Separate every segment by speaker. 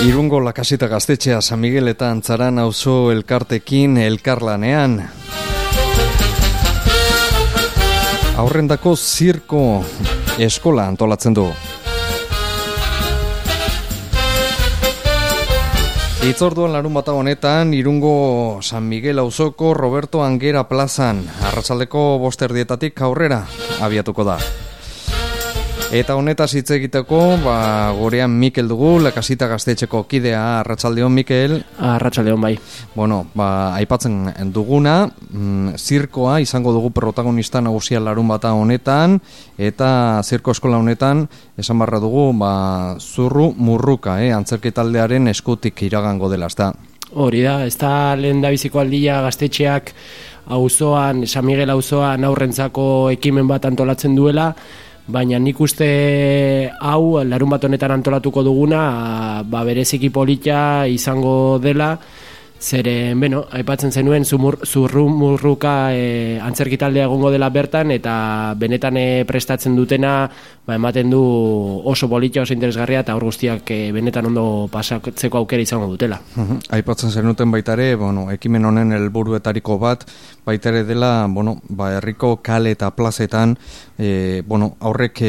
Speaker 1: Irungo Lakasita gaztetxea San Miguel eta Antzaran auzo elkartekin elkarlanean. Aurrendako zirko eskola antolatzen du. Hitzorduan larunbata honetan Irungo San Miguel auzoko Roberto Anguera plazan arratsaldeko 5:00 aurrera abiatuko da. Eta honetaz hitz egiteko, gorean Mikel dugu, Lakasita gaztetxeko kidea. Arratsaldeon, Mikel.
Speaker 2: Arratsaldeon, bai.
Speaker 1: Bueno, aipatzen duguna, zirkoa izango dugu protagonista nagusia larunbata honetan, eta zirko eskola honetan, esan barra dugu, zurru murruka, antzerki taldearen eskutik iragango dela, ezta?
Speaker 2: Hori da, ez da lehendabiziko aldia gaztetxeak auzoan, San Miguel auzoan aurrentzako ekimen bat antolatzen duela, baina nik uste hau larunbat honetan antolatuko duguna bereziki polita izango dela, zeren, aipatzen zenuen zurru murruka antzerki taldea egongo dela bertan, eta benetan prestatzen dutena ematen du oso polita, oso interesgarria, eta hor guztiak benetan ondo pasatzeko aukera izango dutela.
Speaker 1: Aipatzen zenuten baitare, ekimen honen helburuetariko bat, baitare dela, herriko kale eta plazetan, aurrek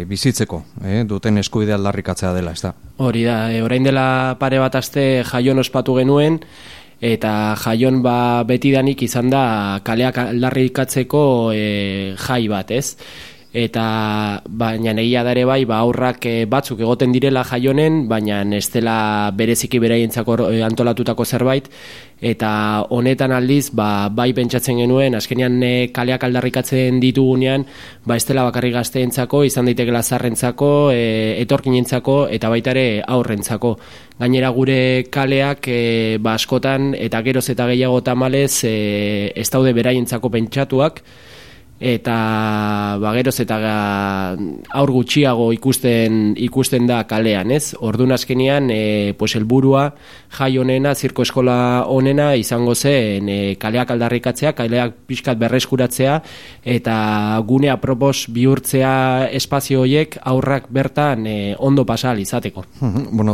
Speaker 1: bizitzeko, duten eskubidea aldarrikatzea dela, ez da? Hori
Speaker 2: da, orain dela pare bat aste Jaion ospatu genuen, eta Jaion betidanik izan da kaleak aldarrikatzeko jai bat, ez? Eta baina egia da ere bai, aurrak batzuk egoten direla Jaionen, baina ez dela bereziki beraientzako antolatutako zerbait, eta honetan aldiz bai pentsatzen genuen, azkenean kaleak aldarrikatzen ditugunean, ez dela bakarrik gazteentzako, izan daitekela zaharrentzako, etorkinentzako eta baita ere aurrentzako. Gainera gure kaleak askotan eta geroz eta gehiago tamalez ez daude beraientzako pentsatuak, eta geroz eta aur gutxiago ikusten da kalean, ez? Orduan azkenean helburua jai honena, zirko eskola honena izango zen kaleak aldarrikatzea, kaleak pixkat berreskuratzea, eta gune apropos bihurtzea espazio horiek aurrak bertan ondo pasa ahal izateko.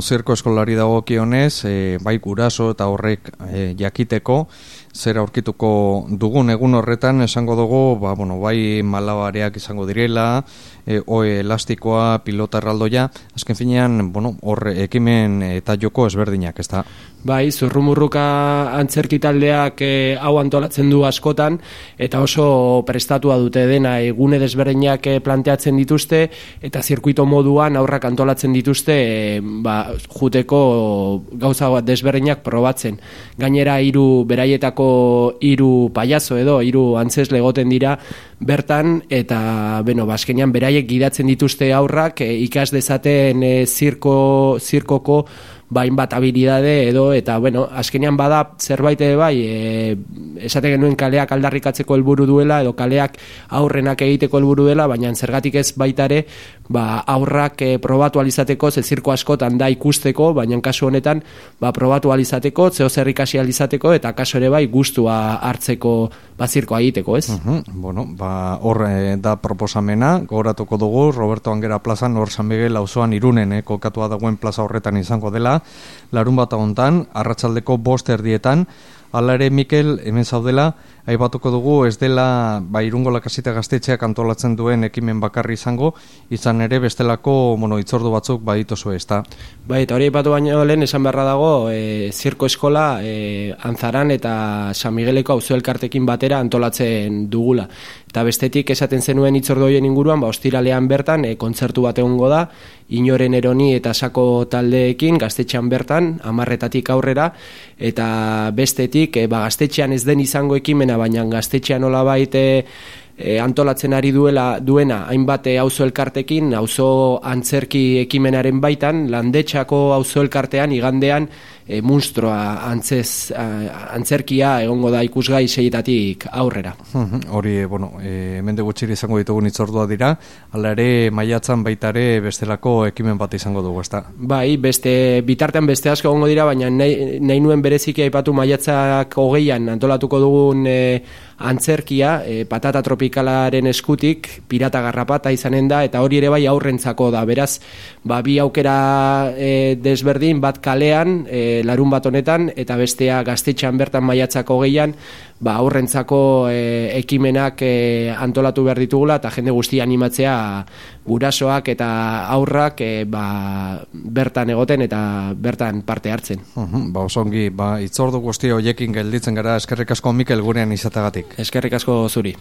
Speaker 1: Zirko eskolari dagokionez, bai guraso eta horrek jakiteko, zer aurkituko dugun egun horretan esango dugu, bai malabareak izango direla, oe elastikoa, pilota erraldoia, azken finean, hor ekimen eta joko ezberdinak, ez da?
Speaker 2: Bai, zurrumurruka antzerki taldeak hau antolatzen du askotan, eta oso prestatua dute dena, egune desberdinak planteatzen dituzte, eta zirkuito moduan aurrak antolatzen dituzte, juteko gauza desberdinak probatzen. Gainera, beraietako 3 payaso edo 3 antzesle egoten dira bertan, eta azkenean beraiek gidatzen dituzte aurrak ikas dezaten zirkoko hainbat habilidade edo, eta azkenean bada zerbait bai, esaten genuen kaleak aldarrikatzeko helburu duela edo kaleak aurrenak egiteko helburu dela, baina zergatik ez baitare aurrak probatu alizateko, ze zirko askotan da ikusteko, baina kasu honetan probatu alizateko, zeo zer ikasi alizateko, eta kasu ere bai gustua hartzeko zirkoa egiteko, ez?
Speaker 1: Hor da proposamena, gogoratuko dugu, Roberto Anguera plazan, hor San Miguel auzoan Irunen, kokatua dagoen plaza horretan izango dela, larunbata hontan, arratsaldeko 5:00. Hala ere, Mikel, hemen zaudela, aipatuko dugu, ez dela Irungo Lakasita gaztetxeak antolatzen duen ekimen bakarri izan ere bestelako hitzordu batzuk badituzue, ezta?
Speaker 2: Bai, eta hori aipatu baino lehen esan beharra dago, zirko eskola Antzaran eta San Migueleko auzo elkartekin batera antolatzen dugula. Eta bestetik esaten zenuen hitzordu horien inguruan, ostiralean bertan kontzertu bat egongo da, Inoren Eroni eta Sako taldeekin gaztetxean bertan, 10:00 aurrera, eta bestetik gaztetxean ez den izango ekimena, baina gaztetxean nolabait antolatzen ari duena hainbat auzo elkartekin, auzo antzerki ekimenaren baitan, Landetxako auzo elkartean igandean munstroa antzerkia egongo da ikusgai 6etatik aurrera.
Speaker 1: Hori, hemen gutxiri izango ditugun hitzordua dira, hala ere maiatzan baita ere bestelako ekimen bat izango dugu, ezta?
Speaker 2: Bai, bitartean beste asko egongo dira, baina nahi nuen bereziki aipatu maiatzak 20an antolatuko dugun antzerkia, patata tropikalaren eskutik, pirata garrapata izanen da, eta hori ere bai aurrentzako da, beraz, bi aukera desberdin, bat kalean, larun bat honetan, eta bestea Gaztetxean bertan maiatzako 20an, aurrentzako ekimenak antolatu behar ditugula, eta jende guztia animatzea gurasoak eta aurrak bertan egoten eta bertan parte hartzen.
Speaker 1: Osongi, hitzordu guzti horiekin gelditzen gara, eskerrik asko Mikel gurean izatagatik.
Speaker 2: Eskerrik asko zuri.